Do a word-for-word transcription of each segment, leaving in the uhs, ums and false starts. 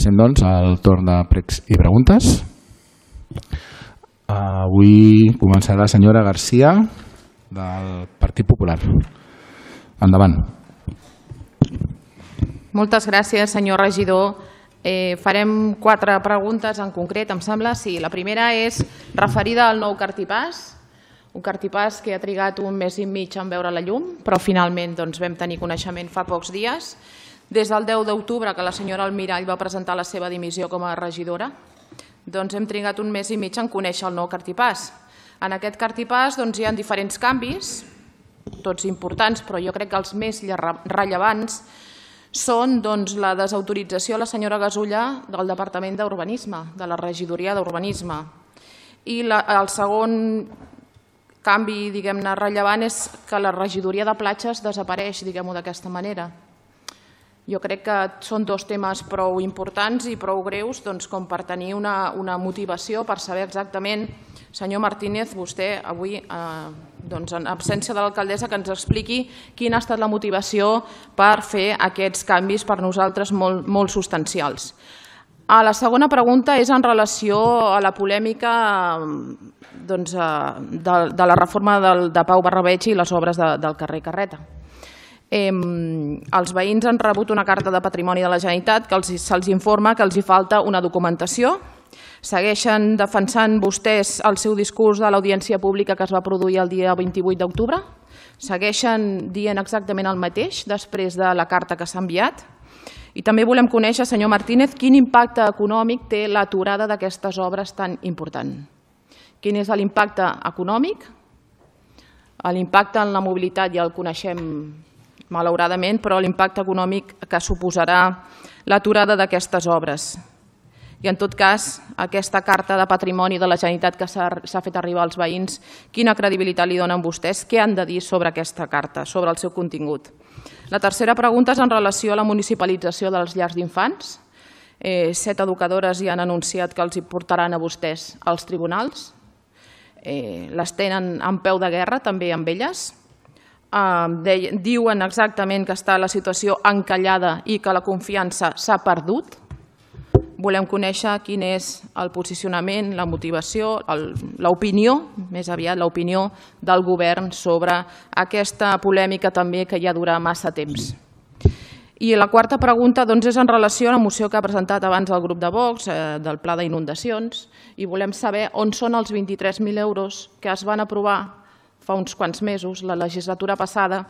Passem, doncs, al torn de pregs i preguntes. Avui començarà la senyora Garcia, del Partit Popular. Endavant. Moltes gràcies, senyor regidor. Eh, farem quatre preguntes en concret, em sembla. Sí, la primera és referida al nou cartipàs, un cartipàs que ha trigat un mes i mig en veure la llum, però finalment doncs, vam tenir coneixement fa pocs dies. Des del deu d'octubre, que la senyora Almirall va presentar la seva dimissió com a regidora, doncs hem trigat un mes i mig en conèixer el nou cartipàs. En aquest cartipàs doncs, hi ha diferents canvis, tots importants, però jo crec que els més rellevants són doncs, la desautorització a la senyora Gasulla del Departament d'Urbanisme, de la regidoria d'Urbanisme. I la, el segon canvi diguem-ne rellevant és que la regidoria de platges desapareix, diguem-ho d'aquesta manera. Jo crec que són dos temes prou importants i prou greus doncs, com per tenir una, una motivació per saber exactament, senyor Martínez, vostè avui, eh, doncs, en absència de l'alcaldessa, que ens expliqui quina ha estat la motivació per fer aquests canvis per nosaltres molt, molt substancials. A la segona pregunta és en relació a la polèmica doncs, de, de la reforma del, de Pau Barrabeig i les obres de, del carrer Carreta. Eh, els veïns han rebut una carta de Patrimoni de la Generalitat que se'ls informa que els hi falta una documentació. Segueixen defensant vostès el seu discurs de l'audiència pública que es va produir el dia vint-i-vuit d'octubre? Segueixen dient exactament el mateix després de la carta que s'ha enviat? I també volem conèixer, senyor Martínez, quin impacte econòmic té l'aturada d'aquestes obres tan important. Quin és l'impacte econòmic? L'impacte en la mobilitat ja el coneixem malauradament, però l'impacte econòmic que suposarà l'aturada d'aquestes obres. I en tot cas, aquesta carta de patrimoni de la Generalitat que s'ha fet arribar als veïns, quina credibilitat li donen vostès? Què han de dir sobre aquesta carta, sobre el seu contingut? La tercera pregunta és en relació a la municipalització dels llars d'infants. Eh, set educadores ja han anunciat que els hi portaran a vostès als tribunals. Eh, les tenen en peu de guerra també amb elles. Uh, diuen exactament que està la situació encallada i que la confiança s'ha perdut. Volem conèixer quin és el posicionament, la motivació, l'opinió, més aviat l'opinió del govern sobre aquesta polèmica també que ja dura massa temps. I la quarta pregunta doncs, és en relació a la moció que ha presentat abans el grup de Vox, eh, del pla d'inundacions, i volem saber on són els vint-i-tres mil euros que es van aprovar fa uns quants mesos, la legislatura passada,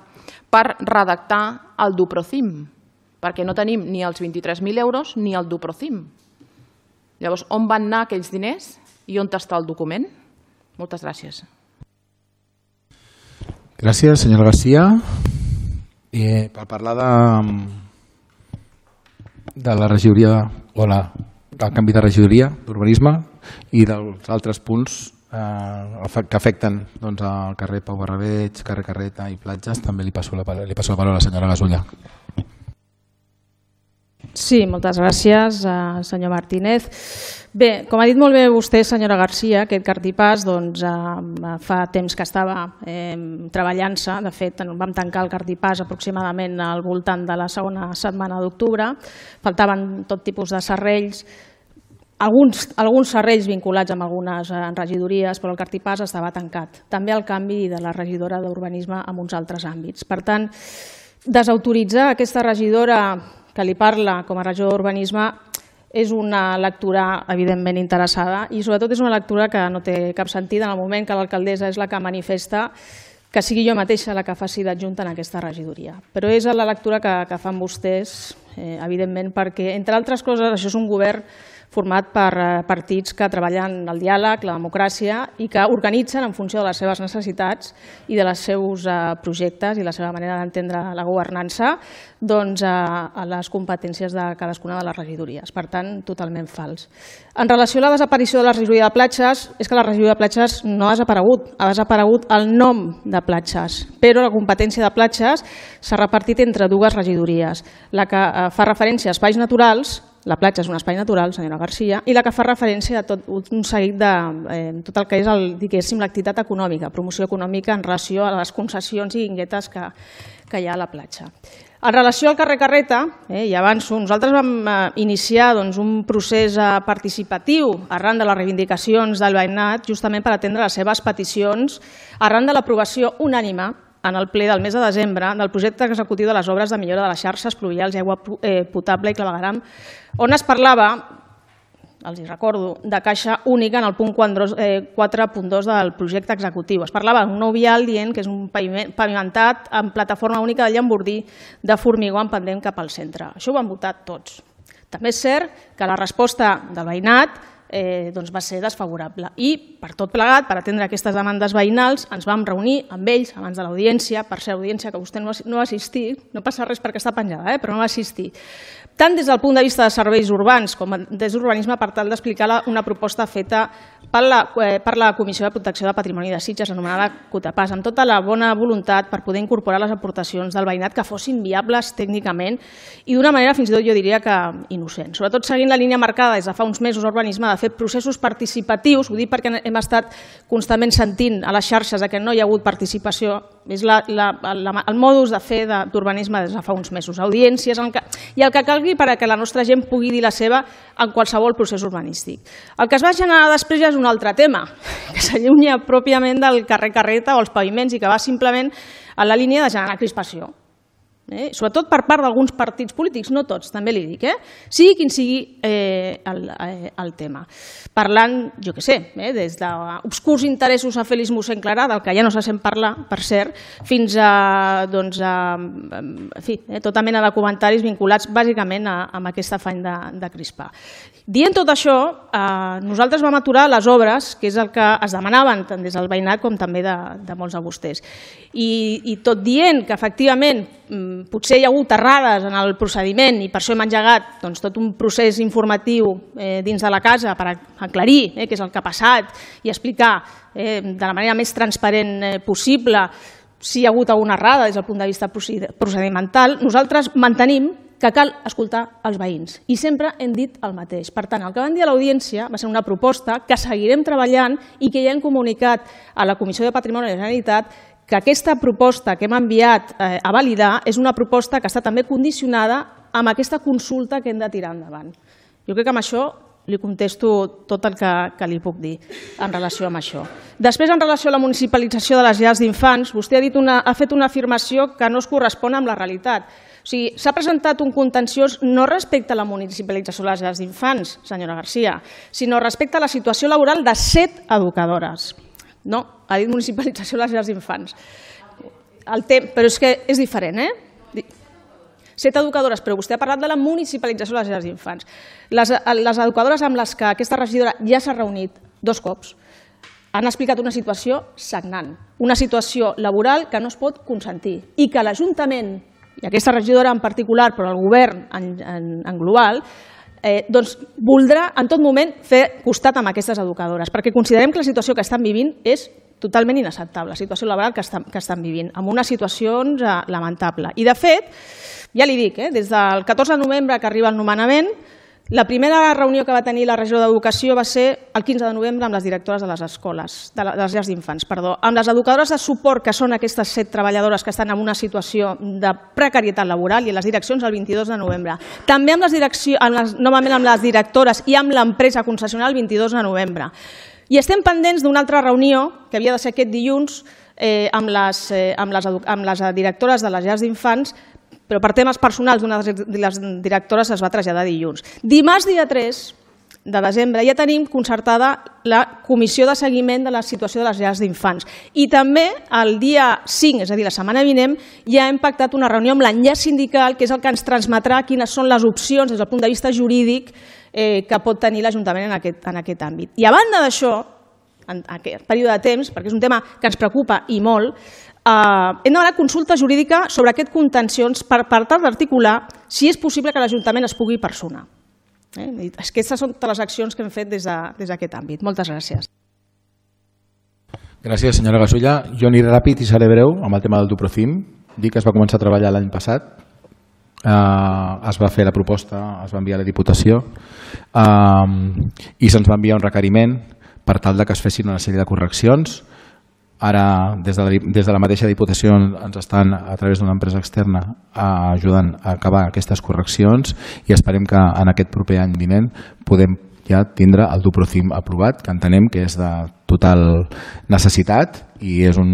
per redactar el Duprocim, perquè no tenim ni els vint-i-tres mil euros ni el Duprocim. Llavors, on van anar aquells diners i on està el document? Moltes gràcies. Gràcies, senyora Garcia. Eh, per parlar de, de la regidoria o la, del canvi de regidoria d'urbanisme i dels altres punts que afecten doncs, el carrer Pau Barrabeig, carrer Carreta i platges, també li passo la paraula, li passo la paraula a la senyora Gasulla. Sí, moltes gràcies, senyor Martínez. Bé, com ha dit molt bé vostè, senyora Garcia, aquest cartipàs doncs, fa temps que estava eh, treballant-se. De fet, vam tancar el cartipàs aproximadament al voltant de la segona setmana d'octubre. Faltaven tot tipus de serrells, Alguns, alguns serrells vinculats amb algunes regidories, però el cartipàs estava tancat. També el canvi de la regidora d'Urbanisme en uns altres àmbits. Per tant, desautoritzar aquesta regidora que li parla com a regidora d'Urbanisme és una lectura evidentment interessada i sobretot és una lectura que no té cap sentit en el moment que l'alcaldessa és la que manifesta que sigui jo mateixa la que faci d'adjunta en aquesta regidoria. Però és la lectura que, que fan vostès, eh, evidentment, perquè, entre altres coses, això és un govern format per partits que treballen el diàleg, la democràcia i que organitzen en funció de les seves necessitats i de els seus projectes i la seva manera d'entendre la governança doncs, a les competències de cadascuna de les regidories. Per tant, totalment fals. En relació a la desaparició de la regidoria de platges, és que la regidoria de platges no ha desaparegut, ha desaparegut el nom de platges, però la competència de platges s'ha repartit entre dues regidories, la que fa referència a espais naturals. La platja és un espai natural, senyora Garcia, i la que fa referència a tot un seguit de eh, tot el que és l'activitat econòmica, promoció econòmica en relació a les concessions i guinguetes que, que hi ha a la platja. En relació al carrer Carreta, eh, i avanço, nosaltres vam eh, iniciar doncs, un procés eh, participatiu arran de les reivindicacions del veïnat justament per atendre les seves peticions arran de l'aprovació unànime en el ple del mes de desembre del projecte executiu de les obres de millora de les xarxes pluvials i aigua eh, potable i clavegueram, on es parlava, els hi recordo, de caixa única en el punt quatre punt dos del projecte executiu. Es parlava d'un nou vial dient que és un pavimentat amb plataforma única de llambordí de formigó en pendent cap al centre. Això ho van votar tots. També és cert que la resposta del veïnat eh, doncs va ser desfavorable i per tot plegat, per atendre aquestes demandes veïnals, ens vam reunir amb ells abans de l'audiència, per ser audiència que vostè no va assistir, no passa res perquè està penjada, eh, però no va assistir, tant des del punt de vista de serveis urbans com des d'urbanisme per tal d'explicar una proposta feta per la, eh, per la Comissió de Protecció de Patrimoni de Sitges, anomenada COTAPAS, amb tota la bona voluntat per poder incorporar les aportacions del veïnat que fossin viables tècnicament i d'una manera fins i tot jo diria que innocent. Sobretot seguint la línia marcada des de fa uns mesos a urbanisme de fer processos participatius, ho dic perquè hem estat constantment sentint a les xarxes que no hi ha hagut participació, és la, la, la, el modus de fer d'urbanisme des de fa uns mesos, audiències i el que calgui perquè la nostra gent pugui dir la seva en qualsevol procés urbanístic. El que es va generar després ja és un altre tema, que s'allunya pròpiament del carrer Carreta o els paviments i que va simplement en la línia de generar crispació. Eh? Sobretot per part d'alguns partits polítics, no tots, també li dic, eh? sigui quin sigui eh, el, eh, el tema. Parlant, jo què sé, eh, des d'obscurs interessos a Félix Mossèn Clarà, del que ja no se sent parlar, per cert, fins a, doncs, a en fi, eh, tota mena de comentaris vinculats bàsicament a, a aquest afany de, de crispar. Dient tot això, eh, nosaltres vam aturar les obres, que és el que es demanaven tant des del veïnat com també de, de molts de vostès. I, i tot dient que efectivament potser hi ha hagut errades en el procediment i per això hem engegat doncs, tot un procés informatiu eh, dins de la casa per aclarir eh, què és el que ha passat i explicar eh, de la manera més transparent eh, possible si hi ha hagut alguna errada des del punt de vista procedimental, nosaltres mantenim que cal escoltar els veïns i sempre hem dit el mateix. Per tant, el que vam dir a l'audiència va ser una proposta que seguirem treballant i que ja hem comunicat a la Comissió de Patrimoni de la Generalitat que aquesta proposta que hem enviat eh, a validar és una proposta que està també condicionada amb aquesta consulta que hem de tirar endavant. Jo crec que amb això li contesto tot el que, que li puc dir en relació amb això. Després, en relació a la municipalització de les llars d'infants, vostè ha, dit una, ha fet una afirmació que no es correspon amb la realitat. O sigui, s'ha presentat un contenciós no respecte a la municipalització de les llars d'infants, senyora Garcia, sinó respecte a la situació laboral de set educadores. No, ha dit municipalització de les llars d'infants. Però és que és diferent, eh? Set educadores, però vostè ha parlat de la municipalització de les llars d'infants. Les, les educadores amb les que aquesta regidora ja s'ha reunit dos cops han explicat una situació sagnant, una situació laboral que no es pot consentir i que l'Ajuntament, i aquesta regidora en particular, però el govern en, en, en global, Eh, doncs voldrà en tot moment fer costat amb aquestes educadores, perquè considerem que la situació que estan vivint és totalment inacceptable, la situació laboral que estan, que estan vivint, amb una situació eh, lamentable. I de fet, ja li dic, eh, des del catorze de novembre que arriba el nomenament, la primera reunió que va tenir la regidora d'Educació va ser el quinze de novembre amb les directores de les escoles, de les llars d'infants, perdó, amb les educadores de suport, que són aquestes set treballadores que estan en una situació de precarietat laboral, i les direccions el vint-i-dos de novembre. També amb les direccions, amb les, novament amb les directores i amb l'empresa concessional el vint-i-dos de novembre. I estem pendents d'una altra reunió, que havia de ser aquest dilluns, eh, amb, les, eh, amb, les, amb les directores de les llars d'infants, però per temes personals d'una de les directores es va traslladar dilluns. Dimarts, dia tres de desembre, ja tenim concertada la comissió de seguiment de la situació de les llars d'infants. I també el dia cinc, és a dir, la setmana vinent, ja hem pactat una reunió amb l'enllaç sindical, que és el que ens transmetrà quines són les opcions des del punt de vista jurídic eh, que pot tenir l'Ajuntament en aquest, en aquest àmbit. I a banda d'això, en aquest període de temps, perquè és un tema que ens preocupa i molt, Uh, hem demanat consulta jurídica sobre aquest contencions per, per tal d'articular si és possible que l'Ajuntament es pugui personar. Eh? Aquestes són totes les accions que hem fet des d'aquest de, àmbit. Moltes gràcies. Gràcies, senyora Gasulla. Jo aniré ràpid i seré breu amb el tema del Duprocim. Dic que es va començar a treballar l'any passat. Uh, es va fer la proposta, es va enviar a la Diputació uh, i se'ns va enviar un requeriment per tal de que es fessin una sèrie de correccions. Ara, des de, la, des de la mateixa Diputació ens estan, a través d'una empresa externa, ajudant a acabar aquestes correccions i esperem que en aquest proper any vinent podem ja tindre el Duprocim aprovat, que entenem que és de total necessitat i és un,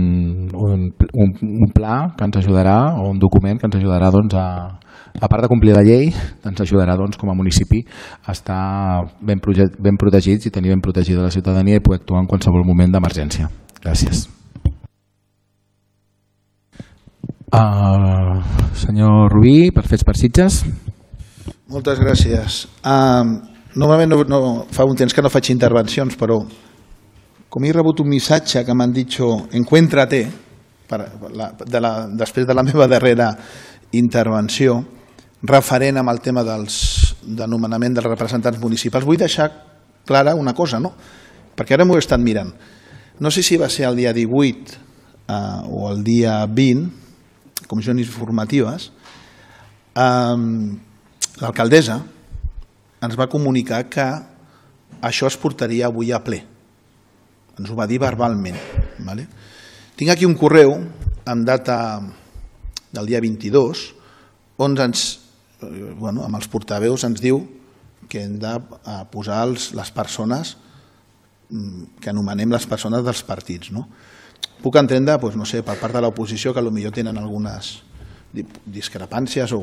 un, un, un pla que ens ajudarà, o un document que ens ajudarà doncs, a, a part de complir la llei, ens ajudarà doncs, com a municipi a estar ben, ben protegits i tenir ben protegida la ciutadania i poder actuar en qualsevol moment d'emergència. Gràcies. Uh, senyor Rubí, per Fets per Sitges. Moltes gràcies. Uh, normalment no, no, fa un temps que no faig intervencions, però com he rebut un missatge que m'han dit encuéntrate per la, de la, després de la meva darrera intervenció referent amb el tema dels, de nomenament dels representants municipals, vull deixar clara una cosa, no? Perquè ara m'ho he estat mirant. No sé si va ser el dia divuit eh, o el dia vint, comissions informatives, eh, l'alcaldessa ens va comunicar que això es portaria avui a ple. Ens ho va dir verbalment. Vale? Tinc aquí un correu amb data del dia vint-i-dos on ens, bueno, amb els portaveus ens diu que hem de posar els, les persones que anomenem les persones dels partits. No? Puc entendre, doncs, no sé, per part de l'oposició que potser tenen algunes discrepàncies o,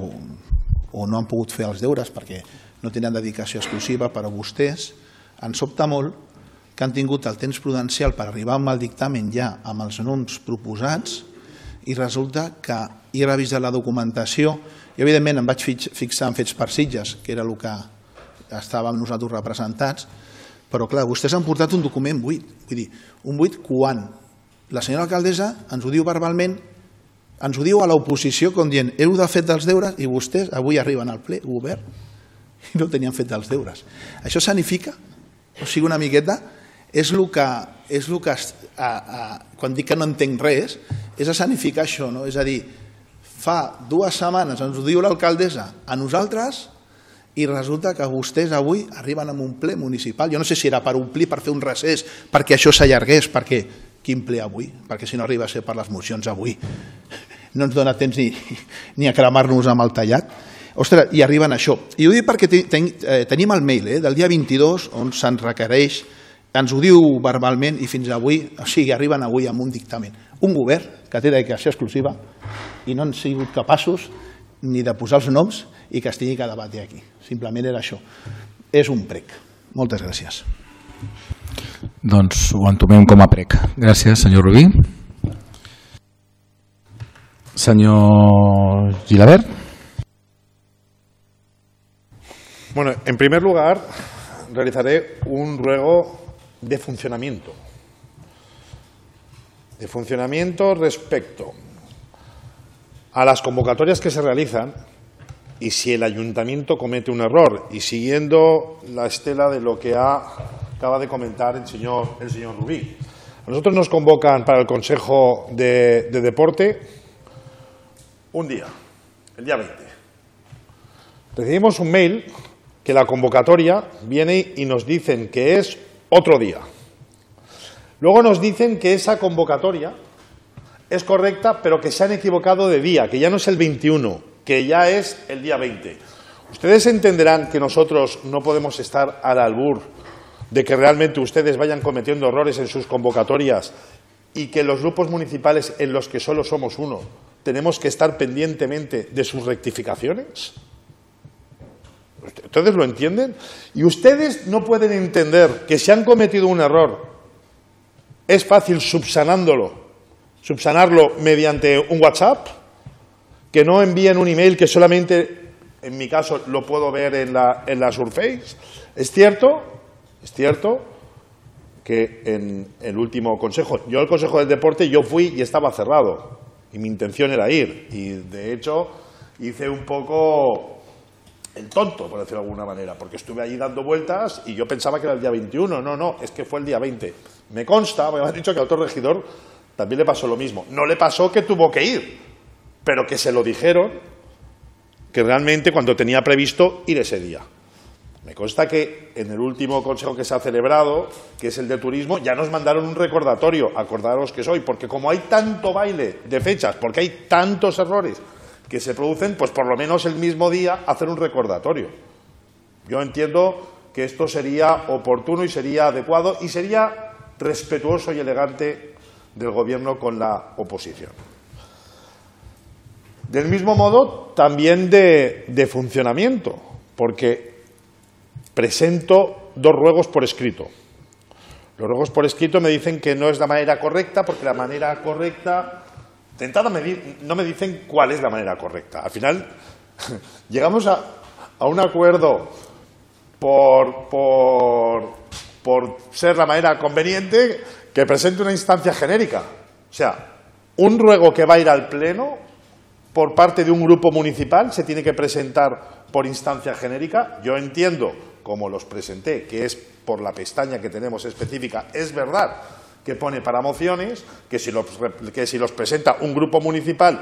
o no han pogut fer els deures perquè no tenen dedicació exclusiva, però vostès ens sobta molt que han tingut el temps prudencial per arribar amb el dictamen ja amb els noms proposats i resulta que he revisat la documentació i evidentment em vaig fixar en Fets per Sitges, que era el que estàvem nosaltres representats, però clar, vostès han portat un document buit. Vull dir, un buit quan la senyora alcaldessa ens ho diu verbalment, ens ho diu a l'oposició com dient heu de fet dels deures i vostès avui arriben al ple obert i no tenien fet dels deures. Això significa, o sigui una miqueta, és el que, és el que a, a, quan dic que no entenc res, és a significar això, no? És a dir, fa dues setmanes ens ho diu l'alcaldessa a nosaltres i resulta que vostès avui arriben a un ple municipal. Jo no sé si era per omplir, per fer un recés, perquè això s'allargués, perquè quin ple avui? Perquè si no arriba a ser per les mocions avui no ens dona temps ni, ni a cremar-nos amb el tallat. Ostres, i arriben a això. I ho dic perquè ten, eh, tenim el mail eh, del dia vint-i-dos on se'ns requereix, ens ho diu verbalment i fins avui, o sigui, arriben avui amb un dictamen. Un govern que té dedicació exclusiva i no han sigut capaços ni de posar els noms i que es tingui que debatir aquí. Simplement era això. És un prec. Moltes gràcies. Doncs ho entomem com a prec. Gràcies, senyor Rubí. Senyor Gilabert. Bueno, en primer lugar, realizaré un ruego de funcionamiento. De funcionamiento respecto a las convocatorias que se realizan y si el ayuntamiento comete un error y siguiendo la estela de lo que ha, acaba de comentar el señor, el señor Rubí. A nosotros nos convocan para el Consejo de, de Deporte un día, el día veinte. Recibimos un mail que la convocatoria viene y nos dicen que es otro día. Luego nos dicen que esa convocatoria es correcta, pero que se han equivocado de día, que ya no es el veintiuno, que ya es el día veinte. Ustedes entenderán que nosotros no podemos estar al albur de que realmente ustedes vayan cometiendo errores en sus convocatorias y que los grupos municipales en los que solo somos uno tenemos que estar pendientemente de sus rectificaciones. ¿Ustedes lo entienden? Y ustedes no pueden entender que si han cometido un error es fácil subsanándolo, subsanarlo mediante un WhatsApp, que no envíen un email que solamente, en mi caso, lo puedo ver en la, en la Surface. Es cierto, es cierto que en el último consejo, yo al Consejo del Deporte yo fui y estaba cerrado y mi intención era ir y de hecho hice un poco el tonto, por decirlo de alguna manera, porque estuve allí dando vueltas y yo pensaba que era el día veintiuno, no, no, es que fue el día veinte. Me consta, me han dicho que al otro regidor también le pasó lo mismo. No le pasó que tuvo que ir, pero que se lo dijeron que realmente cuando tenía previsto ir ese día. Me consta que en el último consejo que se ha celebrado, que es el de turismo, ya nos mandaron un recordatorio, acordaros que soy, porque como hay tanto baile de fechas, porque hay tantos errores que se producen, pues por lo menos el mismo día hacer un recordatorio. Yo entiendo que esto sería oportuno y sería adecuado y sería respetuoso y elegante del Gobierno con la oposición. Del mismo modo, también de, de funcionamiento, porque presento dos ruegos por escrito. Los ruegos por escrito me dicen que no es la manera correcta, porque la manera correcta... De entrada no me dicen cuál es la manera correcta. Al final llegamos a, a un acuerdo por, por, por ser la manera conveniente que presente una instancia genérica. O sea, un ruego que va a ir al Pleno por parte de un grupo municipal se tiene que presentar por instancia genérica. Yo entiendo, como los presenté, que es por la pestaña que tenemos específica, es verdad que pone para mociones, que si los, que si los presenta un grupo municipal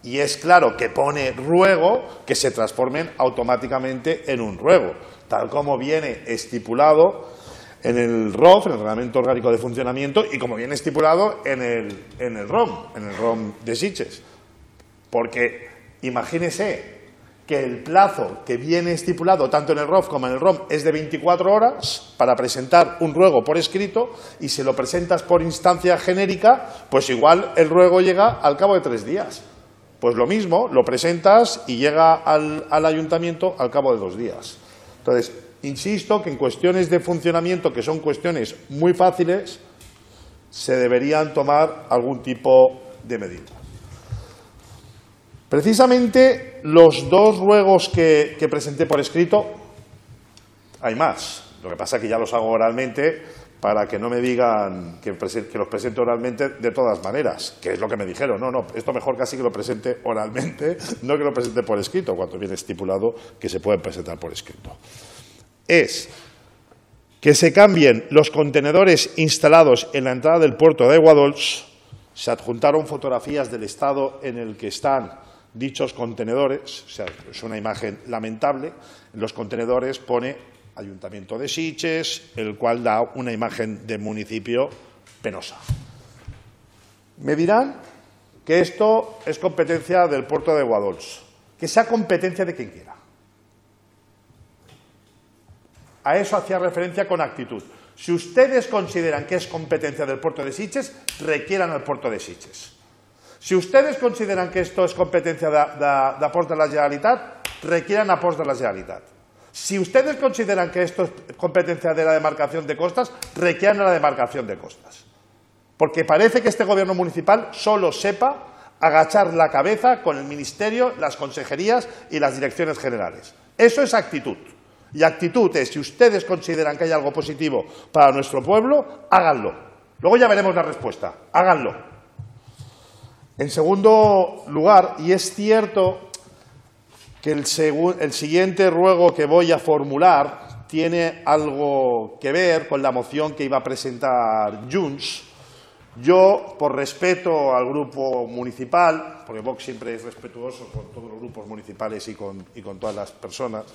y es claro que pone ruego, que se transformen automáticamente en un ruego, tal como viene estipulado en el R O F, en el Reglamento Orgánico de Funcionamiento, y como viene estipulado en el, en el R O M, en el R O M de Sitges. Porque imagínese que el plazo que viene estipulado tanto en el R O F como en el R O M es de veinticuatro horas para presentar un ruego por escrito, y si lo presentas por instancia genérica, pues igual el ruego llega al cabo de tres días. Pues lo mismo, lo presentas y llega al, al ayuntamiento al cabo de dos días. Entonces, insisto que en cuestiones de funcionamiento, que son cuestiones muy fáciles, se deberían tomar algún tipo de medida. Precisamente los dos ruegos que, que presenté por escrito, hay más. Lo que pasa es que ya los hago oralmente para que no me digan que, que los presente oralmente de todas maneras, que es lo que me dijeron. No, no, esto mejor casi que lo presente oralmente, no que lo presente por escrito, cuando viene estipulado que se pueden presentar por escrito. Es que se cambien los contenedores instalados en la entrada del puerto de Aiguadols. Se adjuntaron fotografías del estado en el que están dichos contenedores, o sea, es una imagen lamentable. En los contenedores pone Ayuntamiento de Sitges, el cual da una imagen de municipio penosa. Me dirán que esto es competencia del puerto de Aiguadols, que sea competencia de quien quiera. A eso hacía referencia con actitud. Si ustedes consideran que es competencia del puerto de Sitges, requieran al puerto de Sitges. Si ustedes consideran que esto es competencia de, de, de Ports de la Generalitat, requieran a Ports de la Generalitat. Si ustedes consideran que esto es competencia de la demarcación de costas, requieran a la demarcación de costas. Porque parece que este gobierno municipal solo sepa agachar la cabeza con el ministerio, las consejerías y las direcciones generales. Eso es actitud. Y actitud es, si ustedes consideran que hay algo positivo para nuestro pueblo, háganlo. Luego ya veremos la respuesta. Háganlo. En segundo lugar, y es cierto que el, el siguiente ruego que voy a formular tiene algo que ver con la moción que iba a presentar Junts. Yo, por respeto al grupo municipal, porque Vox siempre es respetuoso con todos los grupos municipales y con, y con todas las personas,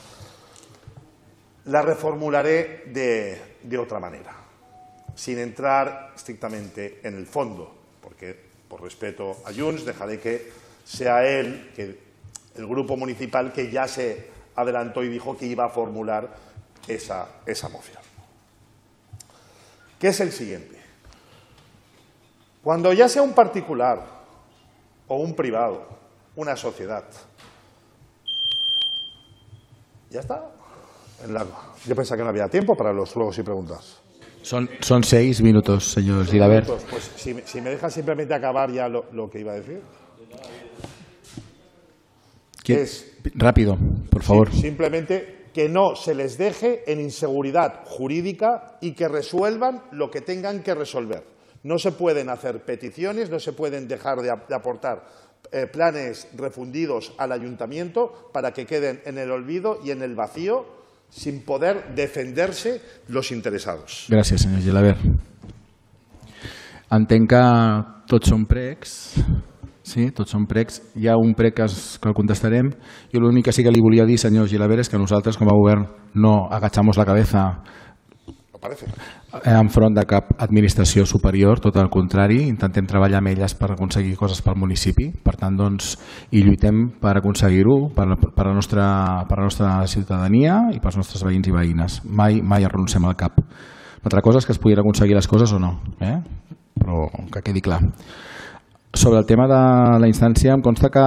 la reformularé de, de otra manera, sin entrar estrictamente en el fondo, porque por respeto a Junts dejaré que sea él, que el grupo municipal, que ya se adelantó y dijo que iba a formular esa, esa moción. ¿Qué es el siguiente? Cuando ya sea un particular o un privado, una sociedad, ya está. En la... Yo pensaba que no había tiempo para los ruegos y preguntas. Son, son seis minutos, señor Gilaber. Pues si, si me deja simplemente acabar ya lo, lo que iba a decir. Es, rápido, por favor. Sí, simplemente que no se les deje en inseguridad jurídica y que resuelvan lo que tengan que resolver. No se pueden hacer peticiones, no se pueden dejar de, de aportar eh, planes refundidos al ayuntamiento para que queden en el olvido y en el vacío, sin poder defenderse los interesados. Gràcies, senyor Gilaber. Entenc que tots són pregs Sí, tots són pregs. Hi ha un prec que, es, que el contestarem. Jo l'únic que sí que li volia dir, senyor Gilaver, és que nosaltres com a govern no agachamos la cabeza enfront de cap administració superior, tot el contrari, intentem treballar amb elles per aconseguir coses pel municipi, per tant, doncs, i lluitem per aconseguir-ho per, per, la nostra, per la nostra ciutadania i pels nostres veïns i veïnes. Mai, mai arroncem al cap. L'altra cosa és que es puguin aconseguir les coses o no, eh? Però que quedi clar. Sobre el tema de la instància, em consta que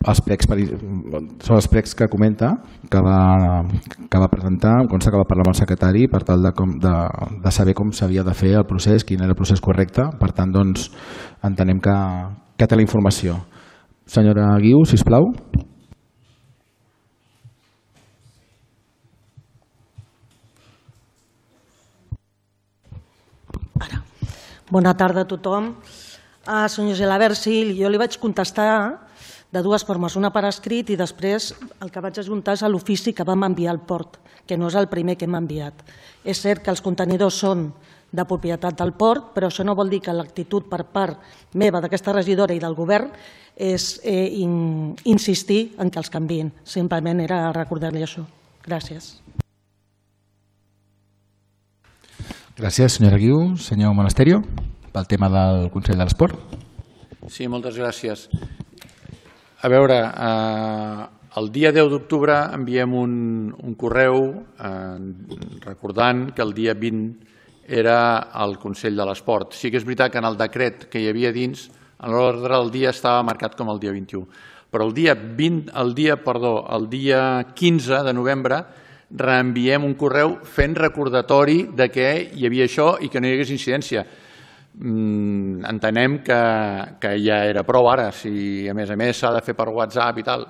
els plecs, són els plecs que comenta, que va, que va presentar, em consta que va parlar amb el secretari per tal de, com, de, de saber com s'havia de fer el procés, quin era el procés correcte. Per tant, doncs, entenem que, que té la informació. Senyora Guiu, sisplau. Ara. Bona tarda a tothom. Ah, senyor Gilaver, sí, jo li vaig contestar de dues formes, una per escrit i després el que vaig ajuntar és l'ofici que vam enviar al port, que no és el primer que hem enviat. És cert que els contenidors són de propietat del port, però això no vol dir que l'actitud per part meva, d'aquesta regidora i del govern, és eh, in, insistir en que els canviïn. Simplement era recordar-li això. Gràcies. Gràcies, senyora Guiu. Senyor Monasterio, pel tema del Consell de l'Esport. Sí, moltes gràcies. A veure, eh, el dia deu d'octubre enviem un, un correu eh, recordant que el dia vint era el Consell de l'Esport. Sí que és veritat que en el decret que hi havia dins, en l'ordre del dia estava marcat com el dia vint-i-u. Però el dia, vint, el dia, perdó, el dia quinze de novembre reenviem un correu fent recordatori de que hi havia això i que no hi hagués incidència. Mm, entenem que, que ja era prou ara, si a més a més s'ha de fer per WhatsApp i tal,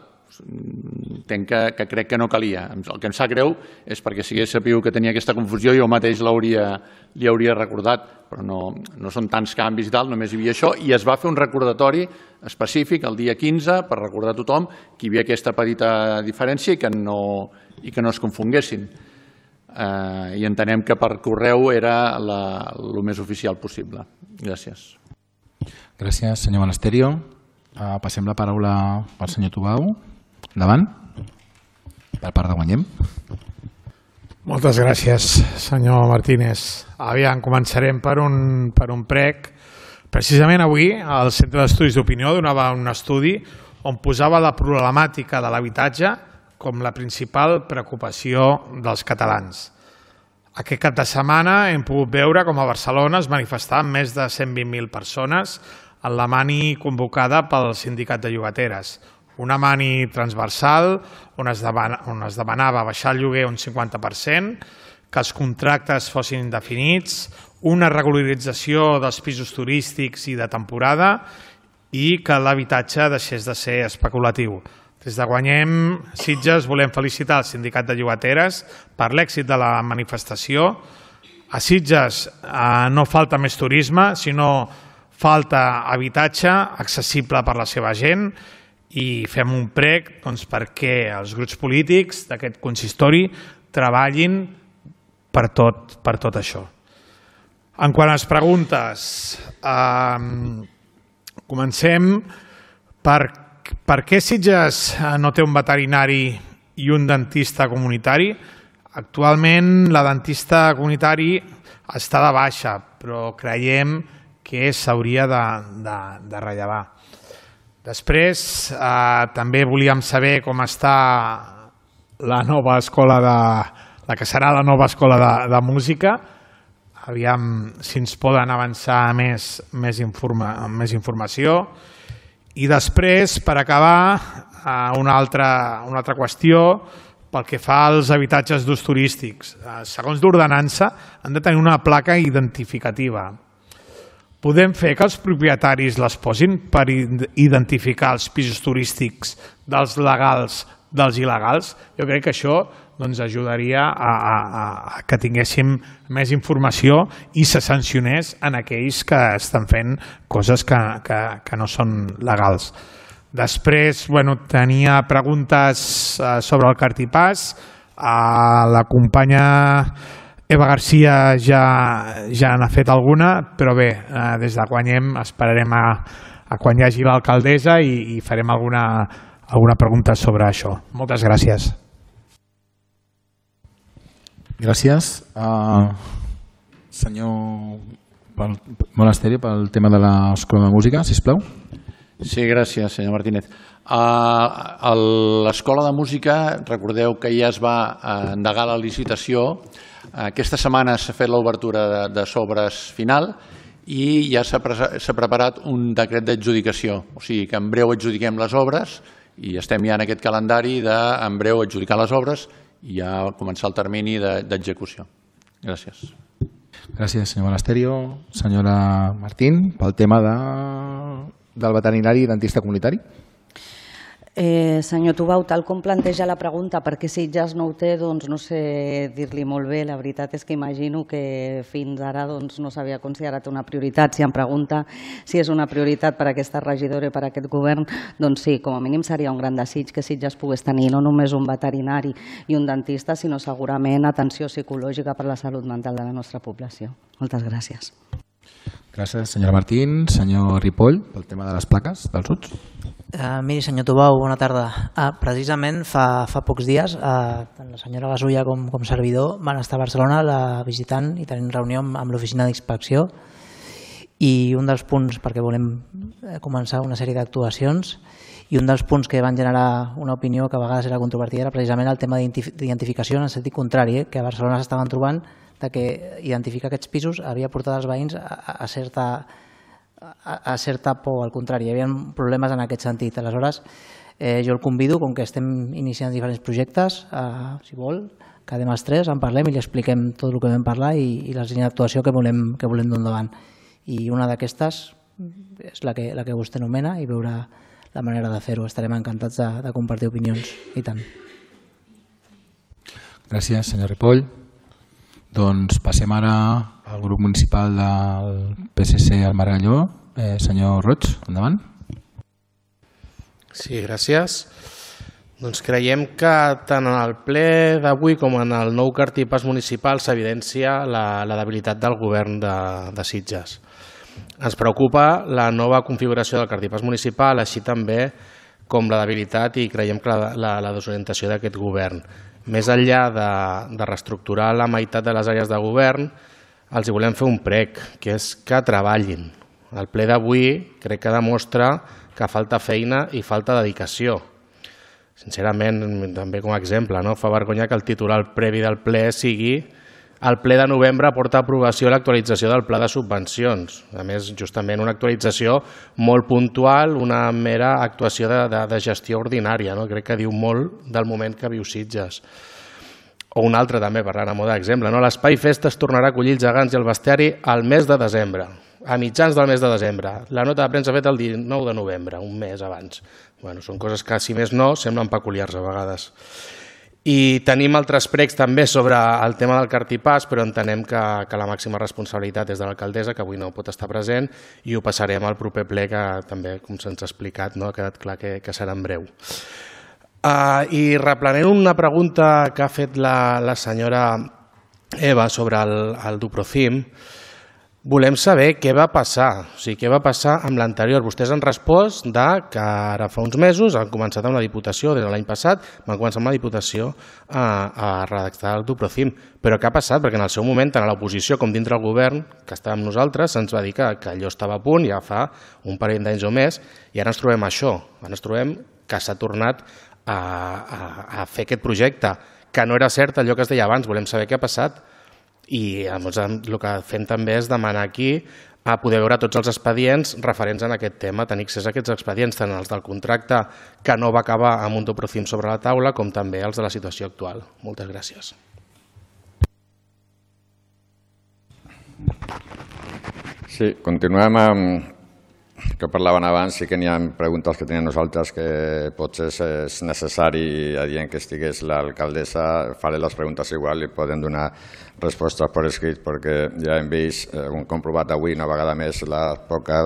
entenc que, que crec que no calia. El que em sap greu és perquè si hagués sabut que tenia aquesta confusió jo mateix l'hauria li hauria recordat, però no, no són tants canvis i tal, només hi havia això i es va fer un recordatori específic el dia quinze per recordar a tothom que hi havia aquesta petita diferència i que no, i que no es confonguessin. Uh, i entenem que per correu era el més oficial possible. Gràcies. Gràcies, senyor Monasterio. Uh, passem la paraula al senyor Tubau. Endavant. Per part de Guanyem. Moltes gràcies, senyor Martínez. Aviam, començarem per un, per un prec. Precisament avui el Centre d'Estudis d'Opinió donava un estudi on posava la problemàtica de l'habitatge com la principal preocupació dels catalans. Aquest cap de setmana hem pogut veure com a Barcelona es manifestaven més de cent vint mil persones en la mani convocada pel Sindicat de Llogateres. Una mani transversal on es, demana, on es demanava baixar el lloguer un cinquanta per cent, que els contractes fossin indefinits, una regularització dels pisos turístics i de temporada i que l'habitatge deixés de ser especulatiu. Des de Guanyem Sitges volem felicitar el Sindicat de Llogateres per l'èxit de la manifestació. A Sitges eh, no falta més turisme, sinó falta habitatge accessible per la seva gent i fem un prec doncs, perquè els grups polítics d'aquest consistori treballin per tot, per tot això. En quant a les preguntes, eh, comencem per Per què Sitges no té un veterinari i un dentista comunitari? Actualment la dentista comunitari està de baixa, però creiem que s'hauria de, de, de rellevar. Després eh, també volíem saber com està la nova escola de, la que serà la nova escola de, de música. Aviam si ens poden avançar més, més, informa, més informació. I després, per acabar, una altra, una altra qüestió pel que fa als habitatges d'ús turístics. Segons l'ordenança, han de tenir una placa identificativa. Podem fer que els propietaris les posin per identificar els pisos turístics dels legals dels il·legals? Jo crec que això doncs, ajudaria a, a, a que tinguéssim més informació i se sancionés en aquells que estan fent coses que, que, que no són legals. Després, bueno, tenia preguntes sobre el cartipàs. La companya Eva Garcia ja, ja n'ha fet alguna, però bé, des de Guanyem esperarem a, a quan hi hagi l'alcaldessa i, i farem alguna, alguna pregunta sobre això. Moltes gràcies. Gràcies. Uh, senyor Monasterio, pel tema de l'Escola de Música, sisplau. Sí, gràcies, senyor Martínez. A l'Escola de Música, recordeu que ja es va endegar la licitació. Aquesta setmana s'ha fet l'obertura de, de sobres final i ja s'ha preparat un decret d'adjudicació. O sigui que en breu adjudiquem les obres i estem ja en aquest calendari de en breu adjudicar les obres i ja començar el termini d'execució. Gràcies. Gràcies, senyor Monasterio. Senyora Martín, pel tema de, del veterinari i dentista comunitari. Eh, senyor Tubau, tal com planteja la pregunta, perquè Sitges no ho té, doncs no sé dir-li molt bé. La veritat és que imagino que fins ara doncs, no s'havia considerat una prioritat. Si em pregunta si és una prioritat per a aquesta regidora i per a aquest govern, doncs sí, com a mínim seria un gran desig que Sitges pogués tenir no només un veterinari i un dentista, sinó segurament atenció psicològica per a la salut mental de la nostra població. Moltes gràcies. Gràcies, senyora Martín. Senyor Ripoll, pel tema de les plaques dels U T S. Uh, miri, senyor Tubau, bona tarda. Uh, precisament fa, fa pocs dies, uh, tant la senyora Gasulla com, com servidor van estar a Barcelona la, visitant i tenint reunió amb, amb l'oficina d'inspecció i un dels punts, perquè volem començar una sèrie d'actuacions, i un dels punts que van generar una opinió que a vegades era controvertida era precisament el tema d'identificació en el sentit contrari, eh, que a Barcelona s'estaven trobant de que identificar aquests pisos havia portat els veïns a, a certa... a certa por, al contrari, hi havia problemes en aquest sentit. Aleshores, eh, jo el convido, com que estem iniciant diferents projectes, eh, si vol, quedem els tres, en parlem i li expliquem tot el que vam parlar i, i les línies d'actuació que volem, que volem dur endavant. I una d'aquestes és la que, la que vostè anomena i veurà la manera de fer-ho. Estarem encantats de, de compartir opinions, i tant. Gràcies, senyor Ripoll. Doncs passem ara al grup municipal del P S C al Margalló. Eh, senyor Roig, endavant. Sí, gràcies. Doncs creiem que tant en el ple d'avui com en el nou cartipàs municipal s'evidencia la, la debilitat del govern de, de Sitges. Ens preocupa la nova configuració del cartipàs municipal, així també com la debilitat i creiem que la, la, la desorientació d'aquest govern. Més enllà de, de reestructurar la meitat de les àrees de govern, els hi volem fer un prec, que és que treballin. El ple d'avui crec que demostra que falta feina i falta dedicació. Sincerament, també com a exemple, no? Fa vergonya que el titular previ del ple sigui el ple de novembre porta a aprovació l'actualització del pla de subvencions. A més, justament una actualització molt puntual, una mera actuació de, de, de gestió ordinària. No? Crec que diu molt del moment que viu Sitges. O un altre també, parlant a moda d'exemple. No? L'Espai Festa es tornarà a acollir els gegants i el bestiari al mes de desembre, a mitjans del mes de desembre. La nota de premsa feta el dinou de novembre, un mes abans. Bueno, són coses que, si més no, semblen peculiars a vegades. I tenim altres pregs també sobre el tema del cartipàs, però entenem que, que la màxima responsabilitat és de l'alcaldessa, que avui no pot estar present, i ho passarem al proper ple, que també, com se'ns ha explicat, no? Ha quedat clar que, que serà en breu. Uh, I replanent una pregunta que ha fet la, la senyora Eva sobre el, el Duprocim, volem saber què va passar, o sigui, què va passar amb l'anterior. Vostès han respost de que ara fa uns mesos han començat amb la Diputació, des de l'any passat van començar amb la Diputació a, a redactar el Duprocim. Però què ha passat? Perquè en el seu moment, tant a l'oposició com dintre el govern, que estàvem nosaltres, se'ns va dir que, que allò estava a punt ja fa un parell d'anys o més, i ara ens trobem això, ara ens trobem que s'ha tornat a, a, a fer aquest projecte, que no era cert allò que es deia abans. Volem saber què ha passat. I el que fem també és demanar aquí a poder veure tots els expedients referents en aquest tema, tenir accés a aquests expedients, tant els del contracte que no va acabar amb un Duprocim sobre la taula, com també els de la situació actual. Moltes gràcies. Sí, continuem amb que parlaven abans. Sí que n'hi ha preguntes que tenim nosaltres que potser és necessari adient que estigués l'alcaldessa. Faré les preguntes igual i podem donar respostes per escrit, perquè ja hem vist, hem comprovat avui una vegada més la poca,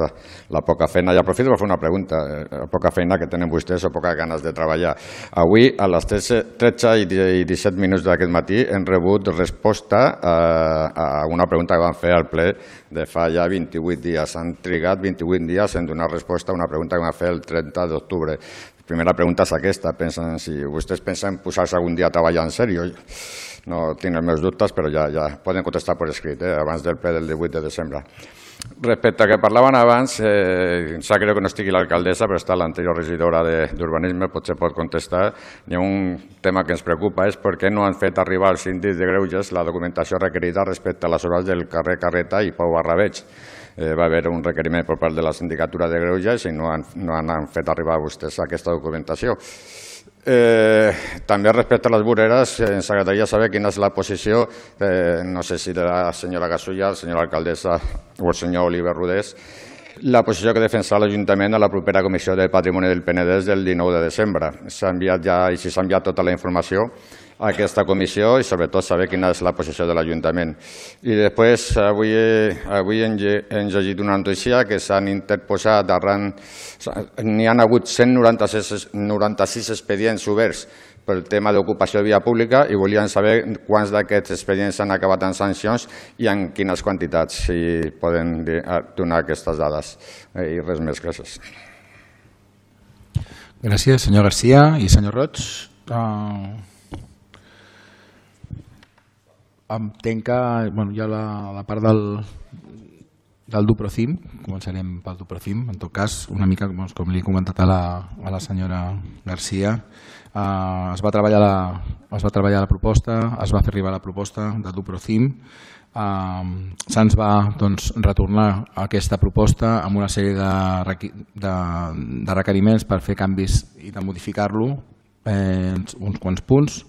la poca feina. I aprofito per fer una pregunta, la poca feina que tenen vostès o poques ganes de treballar. Avui, a les tretze i disset minuts d'aquest matí, hem rebut resposta a una pregunta que vam fer al ple de fa ja vint-i-vuit dies. Han trigat vint-i-vuit dies dies en donar resposta a una pregunta que m'ha fet el trenta d'octubre. La primera pregunta és aquesta, pensen si vostès pensen posar-se algun dia a treballar en sèrio. No tinc els meus dubtes, però ja, ja poden contestar per escrit, eh, abans del ple del divuit de desembre. Respecte al que parlaven abans, eh, sap greu que no estigui l'alcaldessa, però està l'anterior regidora d'Urbanisme, potser pot contestar. Hi ha un tema que ens preocupa, és per què no han fet arribar al síndic de Greuges la documentació requerida respecte a les obres del carrer Carreta i Pau Barrabeig. Eh, va haver un requeriment per part de la sindicatura de Greuges i no han, no han fet arribar a vostès aquesta documentació. Eh, també respecte a les voreres, eh, ens agradaria saber quina és la posició, eh, no sé si de la senyora Gasulla, la senyora alcaldessa o el senyor Oliver Rodés, la posició que defensarà l'Ajuntament a la propera Comissió de Patrimoni del Penedès del dinou de desembre. S'ha enviat ja, i si s'ha enviat tota la informació a aquesta comissió i sobretot saber quina és la posició de l'Ajuntament. I després, avui, avui hem llegit una notícia que s'han interposat arran, n'hi han hagut cent noranta-sis expedients oberts pel tema d'ocupació de via pública i volien saber quants d'aquests expedients han acabat en sancions i en quines quantitats, si poden donar aquestes dades. I res més, gràcies. Gràcies, senyor Garcia i senyor Roig. Uh... Entenc que bueno, hi ha la, la part del, del Duprocim, començarem pel Duprocim, en tot cas, una mica com, com li he comentat a la, a la senyora Garcia, eh, es, va treballar la, es va treballar la proposta, es va fer arribar la proposta de Duprocim, eh, se'ns va doncs, retornar aquesta proposta amb una sèrie de, de, de requeriments per fer canvis i de modificar-lo, eh, uns quants punts.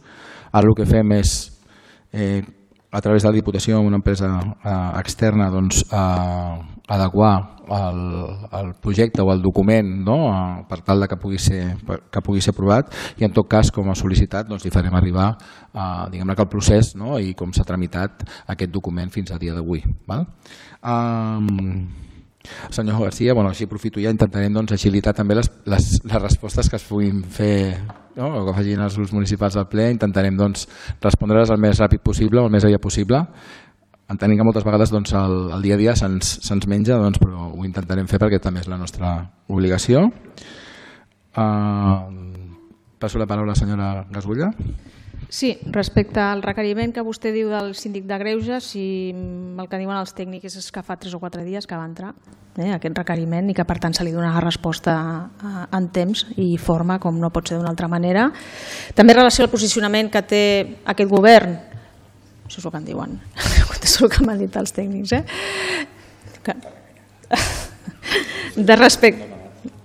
Ara el que fem és eh, a través de la Diputació amb una empresa eh, externa doncs, eh, adequar el, el projecte o el document, no? eh, per tal de que pugui ser, que pugui ser aprovat i en tot cas com a sol·licitat doncs, li farem arribar eh, diguem-ne que el procés, no? I com s'ha tramitat aquest document fins a dia d'avui. Um, senyor Garcia, bueno, així aprofito ja, intentarem doncs, agilitar també les, les, les respostes que es puguin fer, no? O que facin els grups municipals al ple, intentarem doncs, respondre-les el més ràpid possible o el més aviat possible. Entenem que moltes vegades doncs, el, el dia a dia se'ns se menja, doncs, però ho intentarem fer perquè també és la nostra obligació. Uh, passo la paraula a la senyora Gasulla. Sí, respecte al requeriment que vostè diu del síndic de Greuges, si el que diuen els tècnics és que fa tres o quatre dies que va entrar eh, aquest requeriment i que per tant se li donarà resposta en temps i forma, com no pot ser d'una altra manera. També en relació al posicionament que té aquest govern, això és el que em diuen, és el que m'han dit els tècnics, eh? Que... de respecte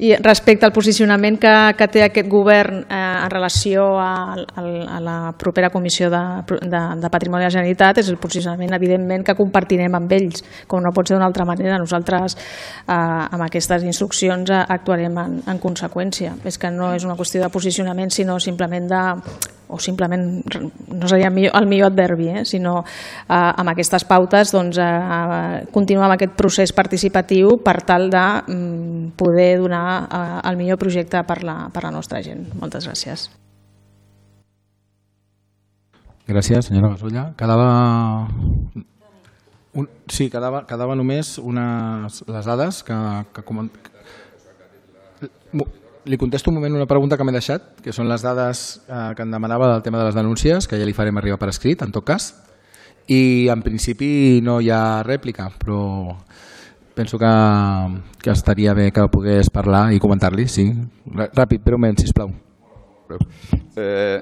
I respecte al posicionament que, que té aquest govern eh, en relació a, a, a la propera Comissió de, de, de Patrimoni de la Generalitat, és el posicionament evidentment que compartirem amb ells, com no pot ser d'una altra manera. Nosaltres eh, amb aquestes instruccions actuarem en, en conseqüència. És que no és una qüestió de posicionament, sinó simplement de, o simplement, no seria el millor, el millor adverbi, eh, sinó eh, amb aquestes pautes doncs, eh, continuar amb aquest procés participatiu per tal de mm, poder donar el millor projecte per la, per la nostra gent. Moltes gràcies. Gràcies, senyora Gasulla. Quedava... Un... Sí, quedava, quedava només unes, les dades que... que coment... Li contesto un moment una pregunta que m'he deixat, que són les dades eh, que em demanava del tema de les denúncies, que ja li farem arribar per escrit, en tot cas. I en principi no hi ha rèplica, però... Penso que, que estaria bé que pogués parlar i comentar-li, sí. Ràpid, breument, sisplau. Eh,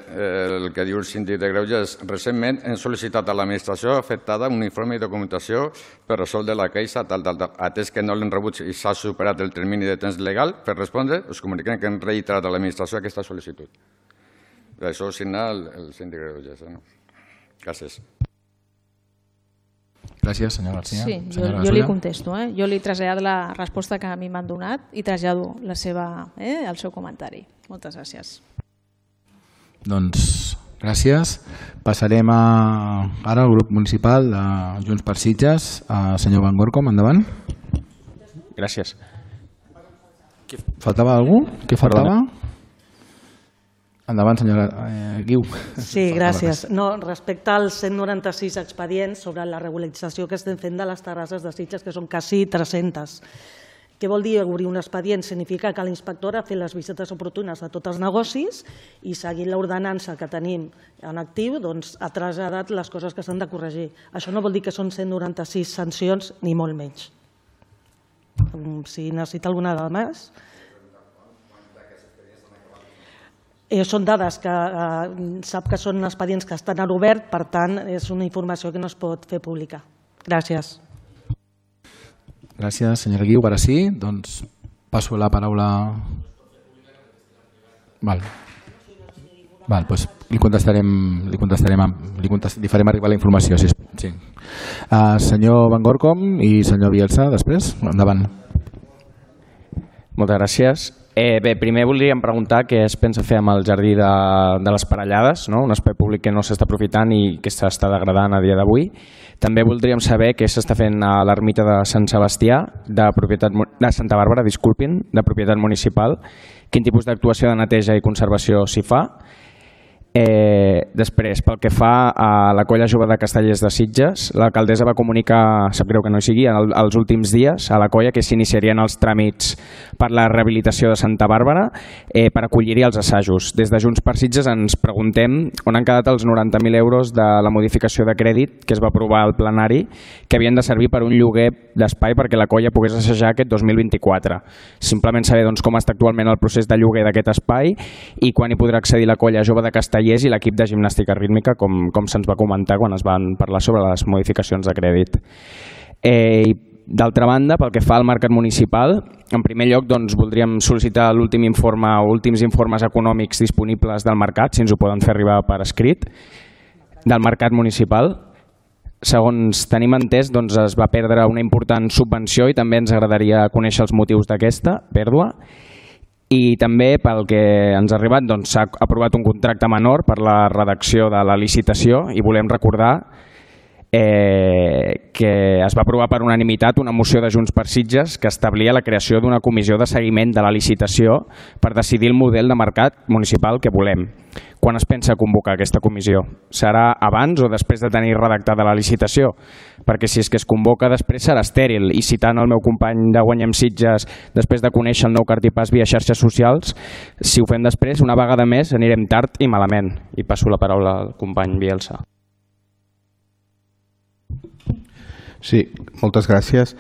el que diu el síndic de Greuges, recentment hem sol·licitat a l'administració afectada un informe i documentació per resoldre la queixa, tal, tal, tal. Atès que no l'hem rebut i s'ha superat el termini de temps legal per respondre, us comuniquem que hem reiterat a l'administració aquesta sol·licitud. Això ho signa el, el síndic de Greuges. Eh, no? Gràcies. Gràcies, senyor Garcia. Sí, jo, jo li contesto. Eh? Jo li trasllado la resposta que a mi m'han donat i trasllado la seva, eh, el seu comentari. Moltes gràcies. Doncs gràcies. Passarem a, ara al grup municipal de Junts per Sitges. Uh, senyor Van Gorkom, endavant. Gràcies. Faltava algú? Què faltava? Endavant, senyora eh, Guiu. Sí, gràcies. No, respecte als cent noranta-sis expedients sobre la regularització que estem fent de les terrasses de Sitges, que són quasi tres-centes. Què vol dir obrir un expedient? Significa que l'inspector ha fet les visites oportunes a tots els negocis i seguint l'ordenança que tenim en actiu ha traslladat les coses que s'han de corregir. Això no vol dir que són cent noranta-sis sancions, ni molt menys. Si necessita alguna dada més... Són dades que sap que són expedients que estan en obert, per tant, és una informació que no es pot fer pública. Gràcies. Gràcies, senyora Guiu. Ara sí, doncs passo la paraula... Val. Val, doncs li contestarem, li contestarem, li, contest, li farem arribar la informació. Sí. Sí. Uh, senyor Van Gorkom i senyor Bielsa, després, endavant. Moltes gràcies. Eh, bé, primer voldríem preguntar què es pensa fer amb el jardí de, de les Parellades, no? Un espai públic que no s'està aprofitant i que s'està degradant a dia d'avui. També voldríem saber què s'està fent a l'ermita de Sant Sebastià, de, propietat, de Santa Bàrbara, disculpin, de propietat municipal. Quin tipus d'actuació de neteja i conservació s'hi fa? Eh, després, pel que fa a la colla jove de Castellers de Sitges, l'alcaldessa va comunicar, sap greu que no hi sigui, el, els últims dies a la colla que s'iniciarien els tràmits per la rehabilitació de Santa Bàrbara eh, per acollir-hi els assajos. Des de Junts per Sitges ens preguntem on han quedat els noranta mil euros de la modificació de crèdit que es va aprovar al plenari, que havien de servir per un lloguer d'espai perquè la colla pogués assajar aquest dos mil vint-i-quatre. Simplement saber doncs, com està actualment el procés de lloguer d'aquest espai i quan hi podrà accedir la colla jove de Castellers i l'equip de gimnàstica rítmica, com, com se'ns va comentar quan es van parlar sobre les modificacions de crèdit. Eh, D'altra banda, pel que fa al mercat municipal, en primer lloc doncs, voldríem sol·licitar l'últim informe o últims informes econòmics disponibles del mercat, si ens ho poden fer arribar per escrit, del mercat municipal. Segons tenim entès, doncs, es va perdre una important subvenció i també ens agradaria conèixer els motius d'aquesta pèrdua. I també, pel que ens ha arribat, doncs, s'ha aprovat un contracte menor per la redacció de la licitació i volem recordar eh, que es va aprovar per unanimitat una moció de Junts per Sitges que establia la creació d'una comissió de seguiment de la licitació per decidir el model de mercat municipal que volem. Quan es pensa convocar aquesta comissió? Serà abans o després de tenir redactada la licitació? Perquè si és que es convoca després serà estèril i citant el meu company de Guanyem Sitges després de conèixer el nou cartipàs via xarxes socials, si ho fem després una vegada més anirem tard i malament. I passo la paraula al company Bielsa. Sí, moltes gràcies.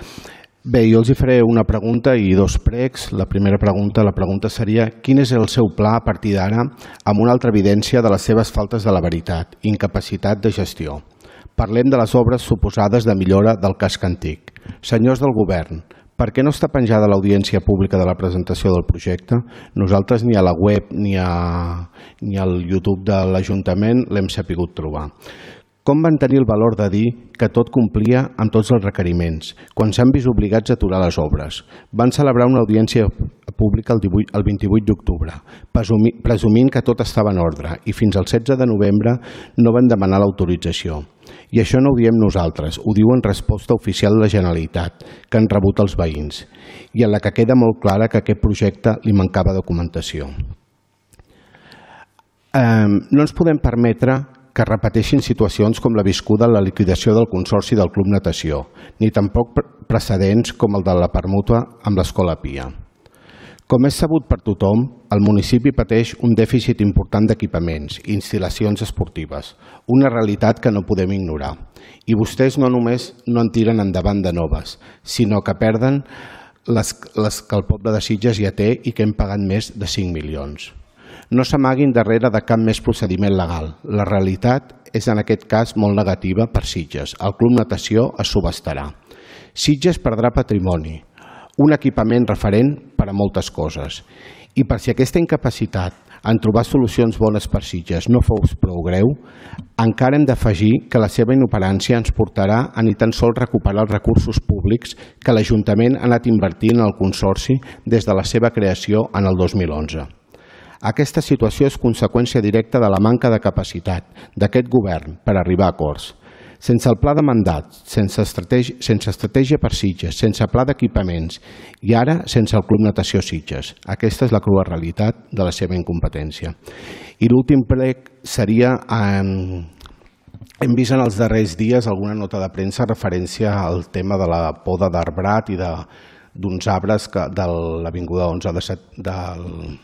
Bé, jo els hi faré una pregunta i dos pregs. La primera pregunta, la pregunta seria quin és el seu pla a partir d'ara amb una altra evidència de les seves faltes de la veritat, incapacitat de gestió. Parlem de les obres suposades de millora del casc antic. Senyors del govern, per què no està penjada l'audiència pública de la presentació del projecte? Nosaltres ni a la web ni, a, ni al YouTube de l'Ajuntament l'hem sapigut trobar. Com van tenir el valor de dir que tot complia amb tots els requeriments, quan s'han vist obligats a aturar les obres? Van celebrar una audiència pública el, divuit, el vint-i-vuit d'octubre, presumint que tot estava en ordre, i fins al setze de novembre no van demanar l'autorització. I això no ho diem nosaltres, ho diu en resposta oficial de la Generalitat, que han rebut els veïns, i en la que queda molt clara que a aquest projecte li mancava documentació. Eh, no ens podem permetre que repeteixin situacions com la viscuda en la liquidació del Consorci del Club Natació, ni tampoc precedents com el de la permuta amb l'Escola Pia. Com és sabut per tothom, el municipi pateix un dèficit important d'equipaments i instal·lacions esportives, una realitat que no podem ignorar. I vostès no només no en tiren endavant de noves, sinó que perden les, les que el poble de Sitges ja té i que hem pagat més de cinc milions. No s'amaguin darrere de cap més procediment legal. La realitat és en aquest cas molt negativa per Sitges. El Club Natació es subestarà. Sitges perdrà patrimoni, un equipament referent per a moltes coses. I per si aquesta incapacitat en trobar solucions bones per Sitges no fos prou greu, encara hem d'afegir que la seva inoperància ens portarà a ni tan sols recuperar els recursos públics que l'Ajuntament ha anat invertint en el Consorci des de la seva creació en el dos mil onze. Aquesta situació és conseqüència directa de la manca de capacitat d'aquest govern per arribar a acords. Sense el pla de mandat, sense estratègia, sense estratègia per Sitges, sense pla d'equipaments i ara sense el Club Natació Sitges. Aquesta és la crua realitat de la seva incompetència. I l'últim prec seria... Eh, hem vist en els darrers dies alguna nota de premsa referència al tema de la poda d'arbrat i de d'uns arbres de l'avinguda onze de del,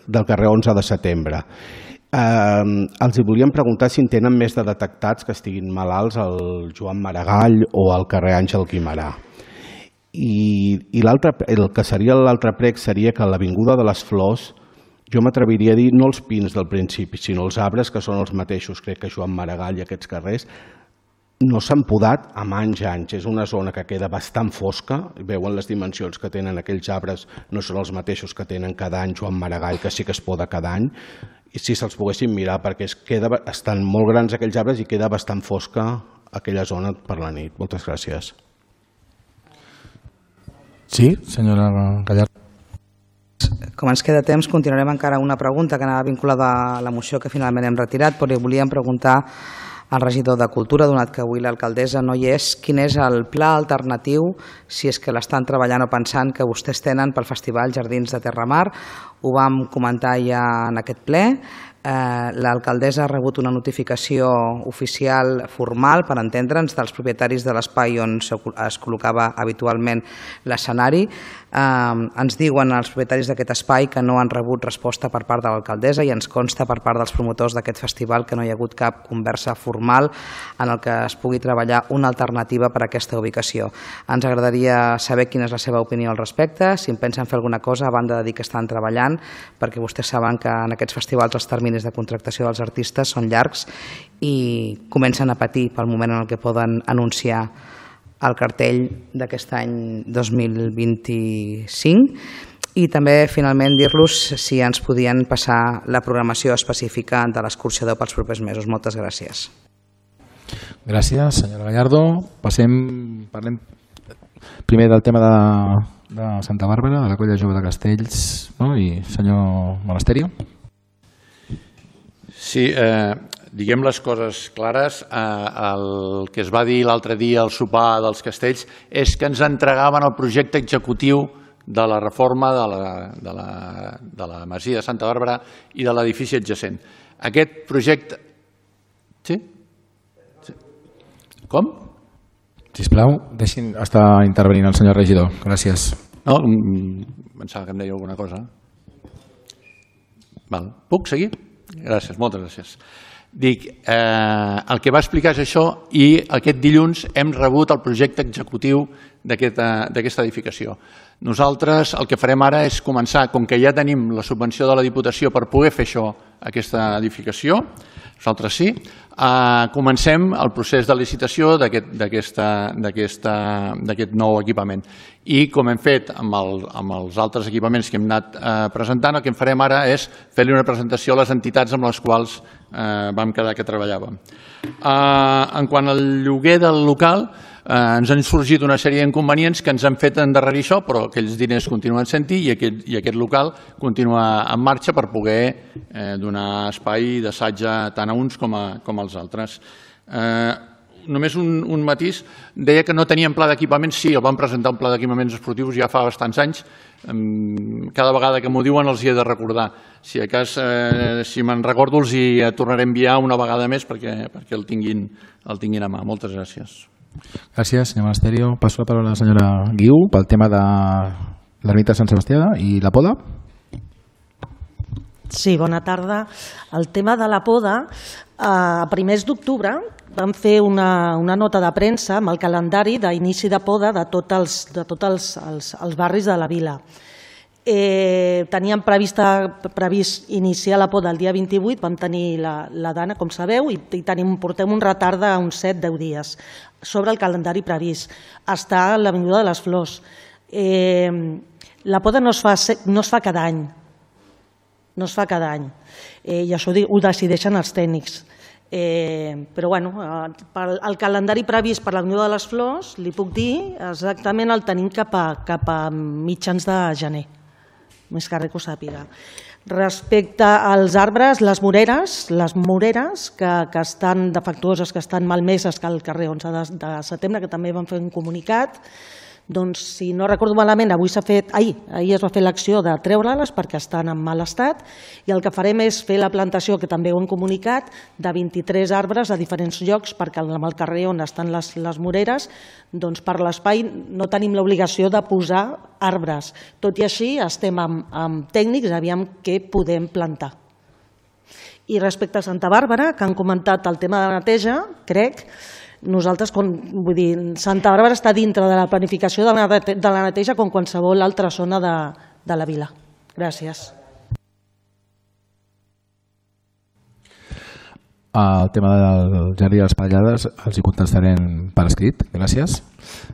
del carrer onze de setembre. Eh, els volíem preguntar si en tenen més de detectats que estiguin malalts al Joan Maragall o al carrer Àngel Guimerà. I, i el que seria l'altre prec seria que a l'Avinguda de les Flors, jo m'atreviria a dir no els pins del principi, sinó els arbres que són els mateixos, crec que Joan Maragall i aquests carrers, no s'han podat amb anys i anys. És una zona que queda bastant fosca, veuen les dimensions que tenen aquells arbres, no són els mateixos que tenen cada any Joan Maragall, que sí que es poda cada any, i si se'ls poguessin mirar, perquè es queda, estan molt grans aquells arbres i queda bastant fosca aquella zona per la nit. Moltes gràcies. Sí, senyora Gallardo. Com ens queda temps, continuarem encara una pregunta que anava vinculada a la moció que finalment hem retirat, però volíem preguntar al regidor de Cultura, donat que avui l'alcaldessa no hi és, quin és el pla alternatiu, si és que l'estan treballant o pensant, que vostès tenen pel Festival Jardins de Terramar. Ho vam comentar ja en aquest ple. Eh, l'alcaldessa ha rebut una notificació oficial formal, per entendre'ns, dels propietaris de l'espai on es col·locava habitualment l'escenari. Eh, ens diuen els propietaris d'aquest espai que no han rebut resposta per part de l'alcaldessa i ens consta per part dels promotors d'aquest festival que no hi ha hagut cap conversa formal en el que es pugui treballar una alternativa per a aquesta ubicació. Ens agradaria saber quina és la seva opinió al respecte, si en pensen fer alguna cosa a banda de dir que estan treballant, perquè vostès saben que en aquests festivals els terminis de contractació dels artistes són llargs i comencen a patir pel moment en el que poden anunciar el cartell d'aquest any dos mil vint-i-cinc. I també, finalment, dir-los si ens podien passar la programació específica de l'escorxador pels propers mesos. Moltes gràcies. Gràcies, senyora Gallardo. Passem, parlem primer del tema de, de Santa Bàrbara, de la Colla Jove de Castells, no? I senyor Monasterio. Sí, eh, diguem les coses clares. Eh, el que es va dir l'altre dia al sopar dels Castells és que ens entregaven el projecte executiu de la reforma de la, de la, de la masia de Santa Bàrbara i de l'edifici adjacent. Aquest projecte... Sí? sí. Com? Sisplau, deixin estar intervenint el senyor regidor. Gràcies. No, pensava que em deia alguna cosa. Val. Puc seguir? Gràcies, moltes gràcies. Dic, eh, el que va explicar és això i aquest dilluns hem rebut el projecte executiu d'aquesta edificació. Nosaltres el que farem ara és començar, com que ja tenim la subvenció de la Diputació per poder fer això, aquesta edificació, nosaltres sí, eh, comencem el procés de licitació d'aquest nou equipament. I com hem fet amb, el, amb els altres equipaments que hem anat eh, presentant, el que en farem ara és fer-li una presentació a les entitats amb les quals eh, vam quedar que treballàvem. Eh, en quant al lloguer del local, eh, ens han sorgit una sèrie d'inconvenients que ens han fet endarrerir això, però aquells diners continuen sent-hi i, aquest, i aquest local continua en marxa per poder eh, donar espai d'assatge tant a uns com a, com als altres. Eh, Només un, un matís, deia que no teníem pla d'equipaments. Sí, el vam presentar un pla d'equipaments esportius ja fa bastants anys. Cada vegada que m'ho diuen els hi he de recordar. Si a cas, eh, si me'n recordo, els hi tornaré a enviar una vegada més perquè, perquè el, tinguin, el tinguin a mà. Moltes gràcies. Gràcies, senyor Monasterio. Passo la paraula a la senyora Guiu pel tema de l'ermita de Sant Sebastià i la poda. Sí, bona tarda. El tema de la poda, a primers d'octubre vam fer una, una nota de premsa amb el calendari d'inici de poda de tots els, de tots els, els, els barris de la vila. Eh, teníem prevista, previst iniciar la poda el dia vint-i-vuit, vam tenir la, la dana, com sabeu, i, i tenim, portem un retard d'uns set deu dies sobre el calendari previst. Està a l'Avinguda de les Flors. Eh, la poda no es fa, no es fa cada any, no es fa cada any, eh, i això ho decideixen els tècnics. Eh, però bueno, el calendari previst per l'Avinguda de les Flors, li puc dir, exactament el tenim cap a, cap a mitjans de gener, més que res que ho sàpiga. Respecte als arbres, les moreres, les moreres que, que estan defectuoses, que estan malmeses, que al carrer onze de setembre, que també van fer un comunicat, Doncs, si no recordo malament, avui s'ha fet, ahir, ahir es va fer l'acció de treure-les perquè estan en mal estat i el que farem és fer la plantació, que també ho hem comunicat, de vint-i-tres arbres a diferents llocs perquè en el carrer on estan les, les moreres, doncs per l'espai no tenim l'obligació de posar arbres. Tot i així estem amb, amb tècnics, aviam què podem plantar. I respecte a Santa Bàrbara, que han comentat el tema de la neteja, crec, nosaltres, vull dir, Santa Bàrbara està dintre de la planificació de la neteja com qualsevol altra zona de, de la vila. Gràcies. El tema del jardí de les Pallades els hi contestarem per escrit. Gràcies.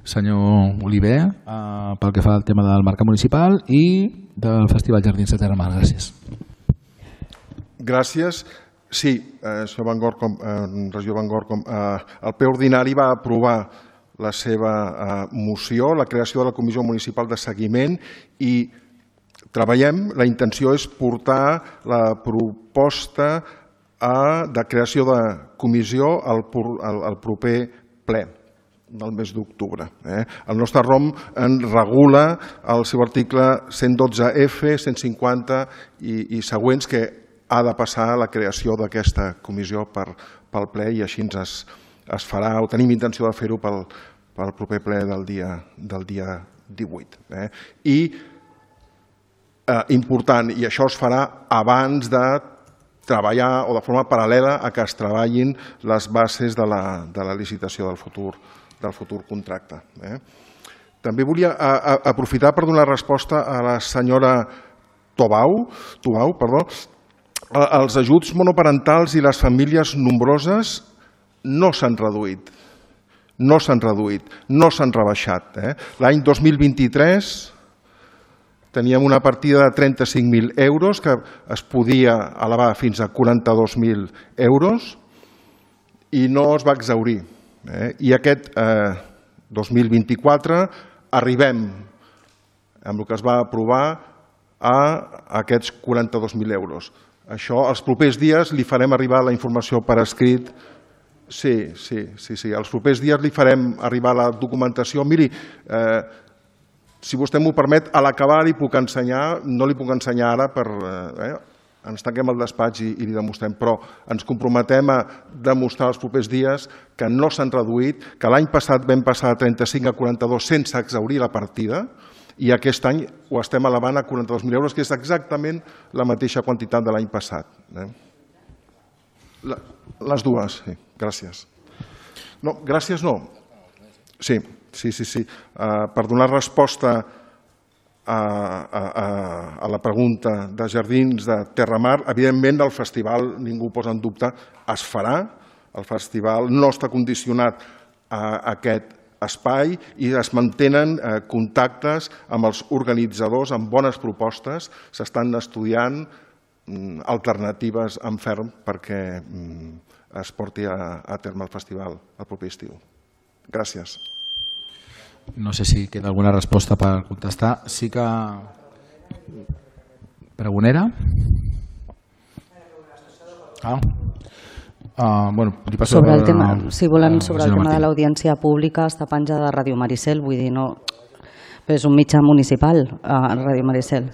Senyor Oliver, pel que fa al tema del mercat municipal i del Festival Jardins de Terramar. Gràcies. Gràcies. Sí, eh, senyor Van Gor, com, eh, regidor Van Gor, com, eh, el ple ordinari va aprovar la seva eh, moció, la creació de la Comissió Municipal de Seguiment i treballem, la intenció és portar la proposta a, de creació de comissió al, al, al proper ple del mes d'octubre. Eh? El nostre R O M en regula el seu article cent dotze F, cent cinquanta i, i següents que ha de passar la creació d'aquesta comissió per, pel ple i així es, es farà, o tenim intenció de fer-ho pel, pel proper ple del dia, del dia divuit. Eh? I eh, important, i això es farà abans de treballar o de forma paral·lela a que es treballin les bases de la, de la licitació del futur, del futur contracte. Eh? També volia a, a, aprofitar per donar resposta a la senyora Tobau, Tobau, perdó. Els ajuts monoparentals i les famílies nombroses no s'han reduït, no s'han reduït, no s'han rebaixat. Eh? L'any dos mil vint-i-tres teníem una partida de trenta-cinc mil euros que es podia elevar fins a quaranta-dos mil euros i no es va exhaurir. Eh? I aquest eh, dos mil vint-i-quatre arribem, amb el que es va aprovar, a aquests quaranta-dos mil euros. Això, els propers dies li farem arribar la informació per escrit. Sí, sí, sí, sí. Els propers dies li farem arribar la documentació. Miri, eh, si vostè m'ho permet, a l'acabar li puc ensenyar, no li puc ensenyar ara per... Eh, ens tanquem al despatx i, i li demostrem, però ens comprometem a demostrar els propers dies que no s'han reduït, que l'any passat vam passar de trenta-cinc a quaranta-dos sense exhaurir la partida, i aquest any ho estem elevant a quaranta-dos mil euros, que és exactament la mateixa quantitat de l'any passat. Eh? La, les dues, sí, gràcies. No, gràcies no. Sí, sí, sí, sí. Uh, per donar resposta a, a, a, a la pregunta de Jardins de Terramar, evidentment el festival, ningú ho posa en dubte, es farà. El festival no està condicionat a aquest espai i es mantenen eh, contactes amb els organitzadors amb bones propostes, s'estan estudiant mm, alternatives en ferm perquè mm, es porti a, a terme el festival el proper estiu. Gràcies. No sé si queda alguna resposta per contestar. Sí que... Pregonera? Ah. Uh, bueno, sobre el tema, si volen, sobre el tema de l'audiència pública està penjada de Ràdio Maricel, vull dir, no, però és un mitjà municipal, a Ràdio Maricel.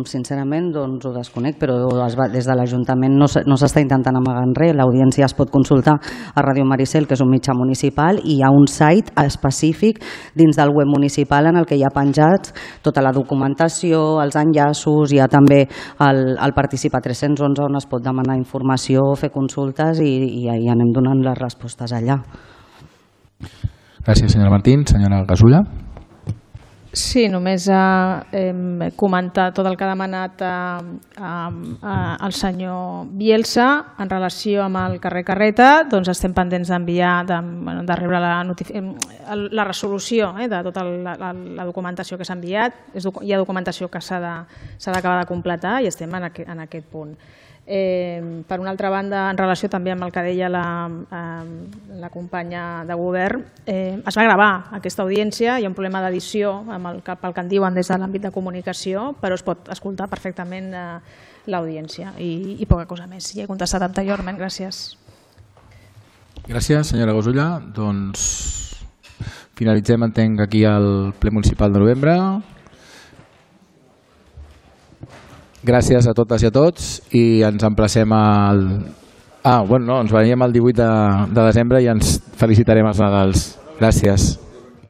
Sincerament, doncs ho desconec, però es va, des de l'Ajuntament no s'està intentant amagar en res. L'audiència es pot consultar a Ràdio Maricel, que és un mitjà municipal, i hi ha un site específic dins del web municipal en el que hi ha penjats tota la documentació, els enllaços, hi ha també el, el Participa tres-cents onze on es pot demanar informació, fer consultes i, i ahí anem donant les respostes allà. Gràcies, senyora Martín. Senyora Gasulla. Sí, només eh, comentar tot el que ha demanat eh, eh, el senyor Bielsa en relació amb el carrer Carreta. Doncs estem pendents d'enviar, de, bueno, de rebre la, la resolució eh, de tota la, la, la documentació que s'ha enviat. És, hi ha documentació que s'ha d'acabar de, de completar i estem en, aqu en aquest punt. Eh, per una altra banda, en relació també amb el que deia la, eh, la companya de govern, eh, es va gravar aquesta audiència, hi ha un problema d'edició pel que, que en diuen des de l'àmbit de comunicació, però es pot escoltar perfectament eh, l'audiència i, i poca cosa més. Ja he contestat anteriorment, gràcies. Gràcies, senyora Gasulla. Doncs finalitzem, entenc, aquí el ple municipal de novembre. Gràcies a totes i a tots i ens emplacem al... Ah, bueno, no, ens veiem el divuit de desembre i ens felicitarem els Nadals. Gràcies.